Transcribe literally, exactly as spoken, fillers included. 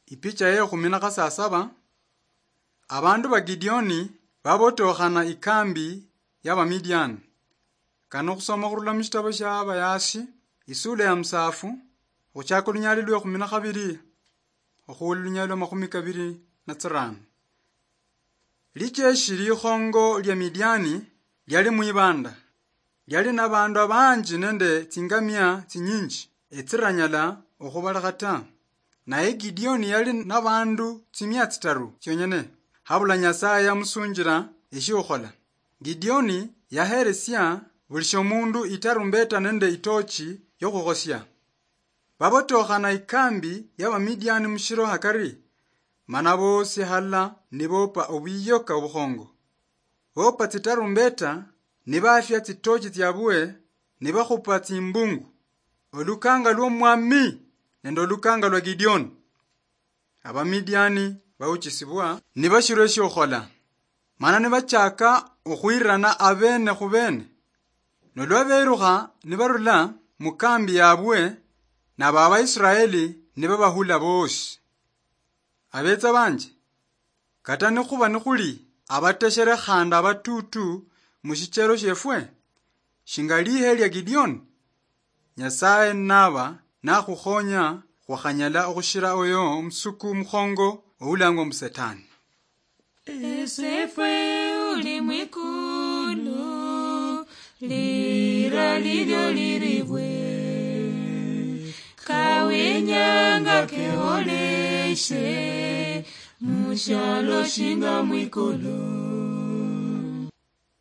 Ipicha ye khumi na khasasaba, abandu ba Gideoni babotokhana ikambi ya Bamidiani. Kano khusoma khurula mu shitabo sha Abayashi, isula ya musafu, khuchaka olunyali lwe khumi na khabiri, okhuula olunyali lwa makhumi kabiri na tsirano. Lijeshi likhongo lia Midiani liali mwibanda. Liali na bandu abanji nende tsingamia tsinyinji, etsiranyala okhubalekha ta. Naye Gideoni yali na bandu tsimia tsitaru tsionyene. Habula Nyasaye yamusunjira eshiokhola. Gideoni yaheresia buli shomundu itarumbeta nende itochi yokhukhosia. Babotokhana ikambi ya Bamidiani mushiro hakari, mana bosi halala nibopa obuyoka obukhongo. Bopa tsitarumbeta, nibafia tsitochi tsiabwe, nibakhupa tsimbungu. Olukanga lwomwami nende olukanga lwa Gideoni. Abamidiani bauchisibwa nibashirwa eshiokhola, mana nibachaka okhwirirana abene khu bene. Nolwa berukha nibarula mu kambi yabwe, nabo Abaisraeli nibabahula bosi. Abetsa banje, kata nikhuba nikhuli abateshere khandi abatutu mu shichero shiefwe, shinga lihe lia Gideoni, Nyasaye naba nakhukhonya, khwakhanyala okhushira oyo omusuku mukhongo oulangwa mbu Setani. Esefwe uli mwikulu, lira lilyo liribwe, kawenyanga keholeshe, mushalo shinga mwikulu.